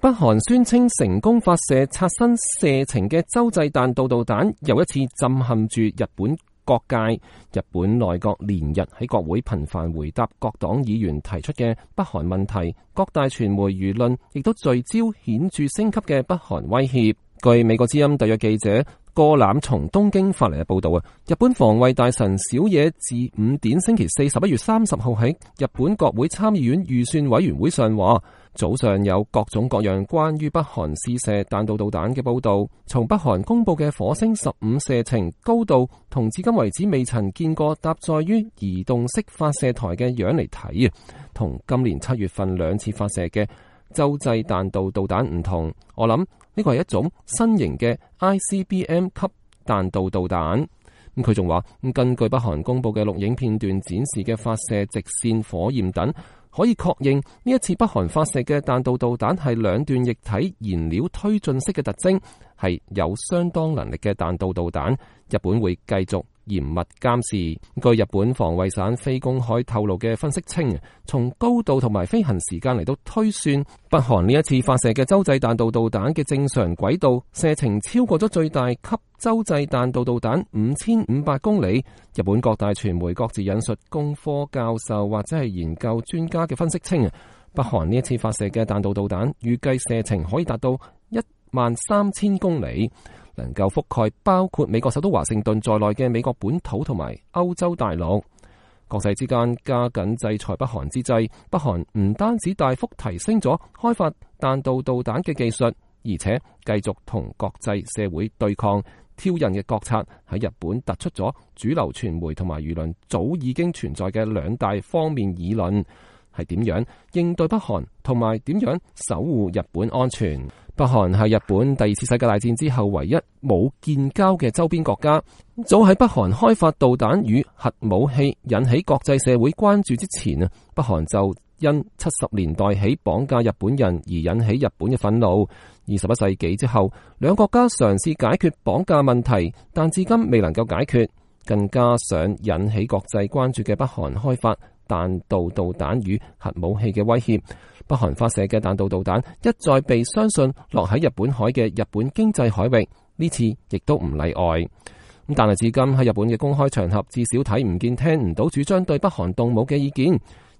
北韓宣稱成功發射刷新射程嘅洲際彈道導彈，又一次震撼住日本各界。日本內閣連日喺國會頻繁回答各黨議員提出嘅北韓問題，各大傳媒輿論亦都聚焦顯著升級嘅北韓威脅。據美國之音特約記者過攬從東京發嚟嘅報道啊，日本防衛大臣小野寺五典星期四11月30號喺日本國會參議院預算委員會上話，早上有各種各樣關於北韓試射彈道導彈嘅報道，從北韓公布嘅火星15射程高度同至今為止未曾見過搭載於移動式發射台嘅樣嚟睇啊，同今年7月份2次發射嘅洲際彈道導彈唔同。我諗呢個係一種新型嘅 ICBM 級彈道導彈。咁佢仲話，根據北韓公布嘅錄影片段展示嘅發射直線、火焰等，可以確認呢一次北韓發射嘅彈道導彈係兩段液體燃料推進式嘅特徵，係有相當能力嘅彈道導彈。日本會繼續嚴密監視。據日本防衛省非公開透露嘅分析稱，從高度同埋飛行時間嚟到推算，北韓呢一次發射嘅洲際彈道導彈嘅正常軌道射程超過咗最大級洲際彈道導彈5500公里。日本各大傳媒各自引述工科教授或者係研究專家嘅分析稱，北韓呢一次發射嘅彈道導彈預計射程可以達到13000公里。能夠覆蓋包括美國首都華盛頓在內嘅美國本土同埋歐洲大陸。國際之間加緊制裁北韓之際，北韓唔單止大幅提升咗開發彈道導彈嘅技術，而且繼續同國際社會對抗。挑釁嘅國策喺日本突出咗主流傳媒同埋輿論早已經存在嘅兩大方面議論，係點樣應對北韓同埋點樣守護日本安全。北韓係日本第二次世界大戰之後唯一冇建交嘅周邊國家。早喺北韓開發導彈與核武器引起國際社會關注之前啊，北韓就因70年代起綁架日本人而引起日本嘅憤怒。21世紀之後，兩國家嘗試解決綁架問題，但至今未能夠解決。更加上引起國際關注嘅北韓開發彈道導彈與核武器嘅威脅，北韓發射嘅彈道導彈一再被相信落喺日本海嘅日本經濟海域，呢次亦都唔例外。但係至今喺日本嘅公開場合，至少睇唔見聽唔到主張對北韓動武嘅意見。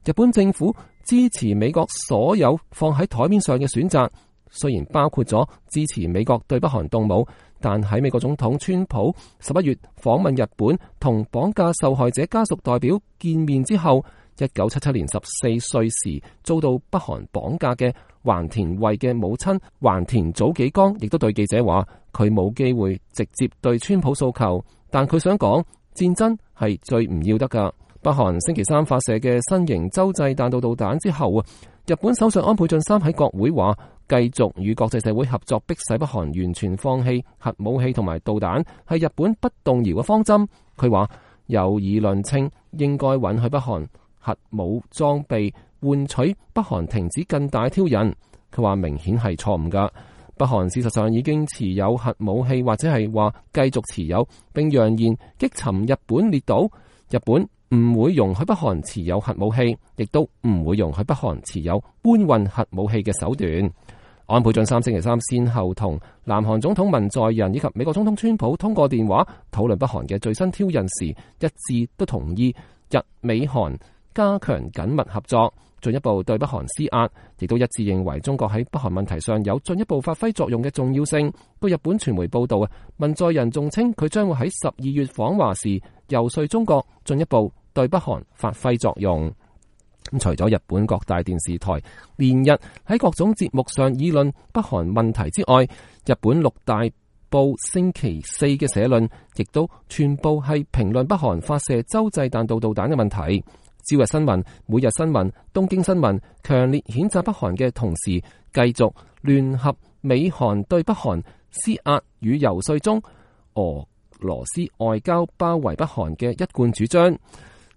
日本政府支持美國所有放喺台面上嘅選擇，雖然包括咗支持美國對北韓動武，但喺美國總統川普11月訪問日本同綁架受害者家屬代表見面之後，1977年14歲時遭到北韓綁架嘅橫田惠嘅母親橫田早紀江亦都對記者話，佢冇機會直接對川普訴求，但佢想講戰爭係最唔要得噶。北韓星期三發射嘅新型洲際彈道導彈之後啊，日本首相安倍晉三喺國會話，繼續與國際社會合作，迫使北韓完全放棄核武器同埋導彈，係日本不動搖嘅方針。佢話有議論稱應該允許北韓核武裝備，換取北韓停止更大挑釁。佢話明顯係錯誤噶。北韓事實上已經持有核武器，或者係話繼續持有，並揚言擊沉日本列島。日本唔會容許北韓持有核武器，亦都唔會容許北韓持有搬運核武器嘅手段。安倍晉三星期三先後同南韓總統文在寅以及美國總統川普通過電話討論北韓嘅最新挑釁時，一致都同意日美韓加強緊密合作，進一步對北韓施壓，亦都一致認為中國喺北韓問題上有進一步發揮作用嘅重要性。據日本傳媒報道啊，文在寅仲稱佢將會喺12月訪華時遊說中國進一步對北韓發揮作用。除咗日本各大電視台連日喺各種節目上議論北韓問題之外，日本6大報星期四嘅社論亦都全部係評論北韓發射洲際彈道導彈嘅問題。朝日新聞、每日新聞、東京新聞強烈譴責北韓嘅同時，繼續聯合美韓對北韓施壓與游說中俄羅斯外交包圍北韓嘅一貫主張。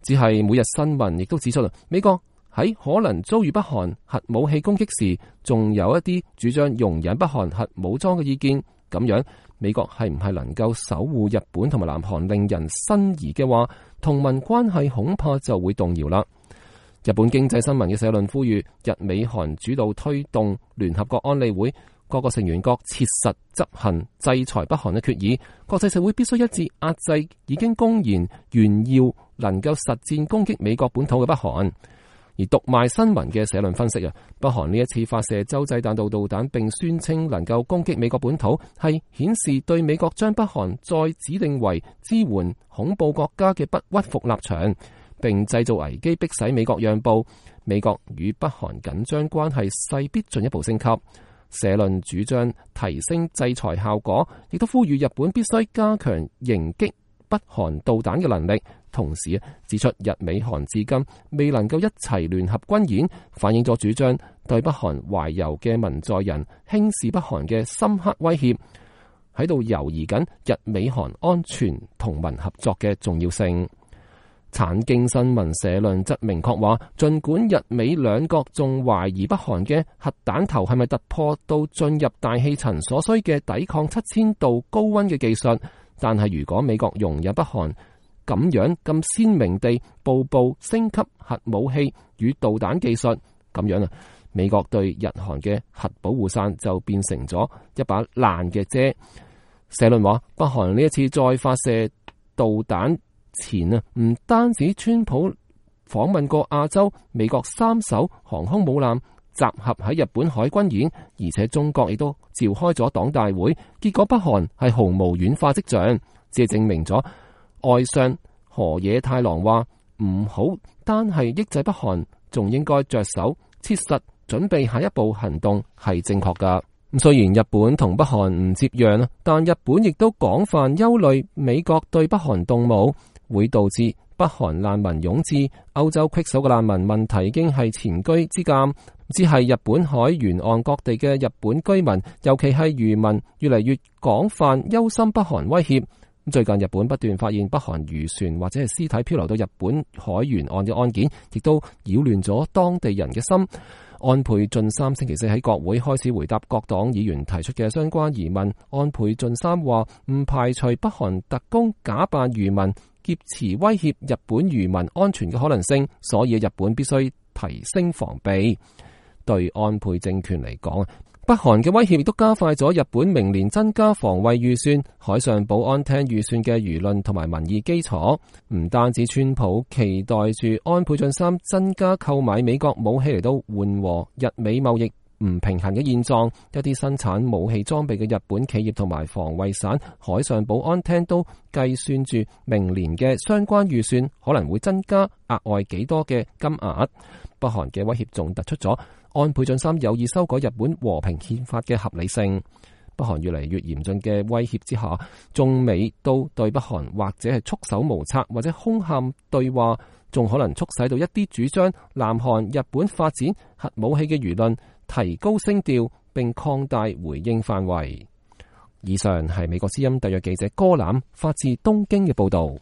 只係每日新聞亦都指出，美國喺可能遭遇北韓核武器攻擊時，仲有一啲主張容忍北韓核武裝嘅意見。咁樣美國係唔係能夠守護日本同埋南韓令人生疑嘅話，同盟關係恐怕就會動搖啦。日本經濟新聞嘅社論呼籲日美韓主導推動聯合國安理會各個成員國切實執行制裁北韓嘅決議，國際社會必須一致壓制已經公然炫耀能夠實戰攻擊美國本土嘅北韓。而讀賣新聞嘅社論分析北韓呢一次發射洲際彈道導彈並宣稱能夠攻擊美國本土，係顯示對美國將北韓再指定為支援恐怖國家嘅不屈服立場，並製造危機迫使美國讓步。美國與北韓緊張關係勢必進一步升級。社論主張提升制裁效果，亦都呼籲日本必須加強迎擊北韓導彈嘅能力。同時指出日美韓至今未能夠一齊聯合軍演，反映咗主張對北韓懷柔嘅文在寅輕視北韓嘅深刻威脅，喺度猶疑緊日美韓安全同盟合作嘅重要性。產經新聞社論則明確話，儘管日美兩國仲懷疑北韓嘅核彈頭係咪突破到進入大氣層所需嘅抵抗7000度高溫嘅技術，但係如果美國容忍北韓咁樣咁鮮明地步步升級核武器與導彈技術，咁樣美國對日韓嘅核保護傘就變成咗一把爛嘅遮。社論話，北韓呢一次再發射導彈前唔單止川普訪問過亞洲，美國3艘航空母艦集合喺日本海軍演，而且中國亦都召開咗黨大會，結果北韓係毫無軟化跡象，只係證明咗外相河野太郎話唔好單係抑制北韓，仲應該着手切實準備下一步行動係正確噶。雖然日本同北韓唔接壤，但日本亦都廣泛憂慮美國對北韓動武會導致北韓難民湧至歐洲棘手嘅難民問題已經係前車之鑑，只係日本海沿岸各地嘅日本居民，尤其係漁民越嚟越廣泛憂心北韓威脅。最近日本不斷發現北韓漁船或者係屍體漂流到日本海沿岸嘅案件，亦都擾亂咗當地人嘅心。安倍晉三星期四喺國會開始回答各黨議員提出嘅相關疑問。安倍晉三話唔排除北韓特工假扮漁民劫持威脅日本漁民安全嘅可能性，所以日本必須提升防備。對安倍政權嚟講，北韓嘅威脅亦都加快咗日本明年增加防衛預算、海上保安廳預算嘅輿論同埋民意基礎。唔單止川普期待住安倍晉三增加購買美國武器嚟到緩和日美貿易唔平衡嘅現狀，一啲生產武器裝備嘅日本企業同埋防衛省海上保安廳都計算住明年嘅相關預算可能會增加額外幾多嘅金額。北韓嘅威脅仲突出咗安倍晉三有意修改日本和平憲法嘅合理性。北韓越嚟越嚴峻嘅威脅之下，中美都對北韓或者係束手無策，或者空喊對話，仲可能促使到一啲主張南韓、日本發展核武器嘅輿論提高聲調，並擴大回應範圍。以上係美國之音特約記者柯欖發自東京嘅報道。